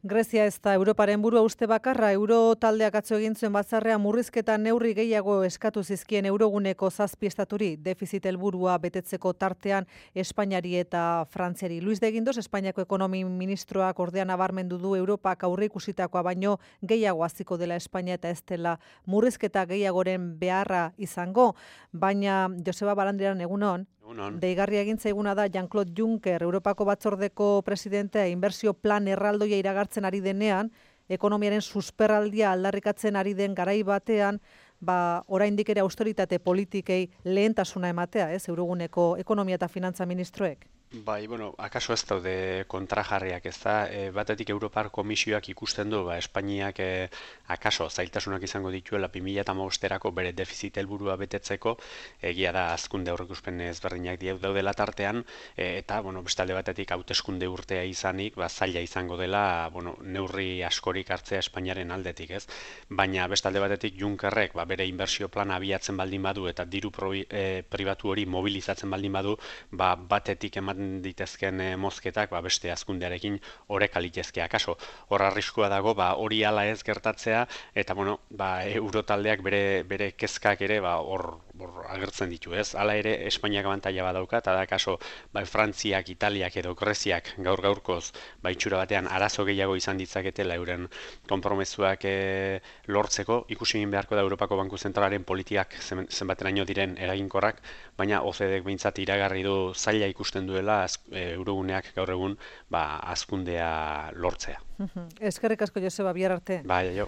Grezia ez da Europaren burua uste bakarra, euro taldeak atzo egin zuen batzarrea murrizketa neurri gehiago eskatu zizkien euroguneko 7 estaturi, defizit helburua betetzeko tartean Espainiari eta Frantziari. Luis de Guindos, Espainiako ekonomi ministroak ordea nabarmendu du Europak aurreikusitakoa baino gehiago hasiko dela Espainia eta ez dela murrizketa gehiagoren beharra izango, baina Joseba Barandiaran egunon. Deigarria egin zaiguna da Jean-Claude Juncker, Europako batzordeko presidentea, inbertsio plan erraldoia iragartzen ari denean, ekonomiaren susperraldia aldarrikatzen ari den garai batean, oraindik ere austeritate politikei lehentasuna ematea, Euroguneko ekonomia eta finantza ministroek. Bai, akaso ez daude kontrajarriak, ez da, batetik Europar Komisioak ikusten du, Espainiak akaso zailtasunak izango dituela 2015erako bere defizit helburua betetzeko, egia da hazkunde aurreikuspen ezberdinak daudela tartean, eta, bestalde batetik hauteskunde urtea izanik, zaila izango dela, neurri askorik hartzea Espainiaren aldetik, ez? Baina bestalde batetik Junckerrek, bere inbertsio plana abiatzen baldin badu eta diru pribatu hori mobilizatzen baldin badu, batetik ematen ditezken mozketak beste hazkundearekin oreka litezke akaso. Hor arriskua dago hori hala ez gertatzea eta eurotaldeak bere kezkak ere hor agertzen ditu, ez? Hala ere Espainiak abantaila badauka eta da akaso Frantziak, Italiak edo Greziak gaurkoz itxura batean arazo gehiago izan ditzaketela euren konpromezuak lortzeko, ikusi egin beharko da Europako Banku Zentralaren politikak zenbateraino diren eraginkorrak, baina OCDEk behintzat iragarri du zaila ikusten duela euroguneak gaur egun hazkundea lortzea. Eskerrik asko Joseba, bihar arte. Bai, jo.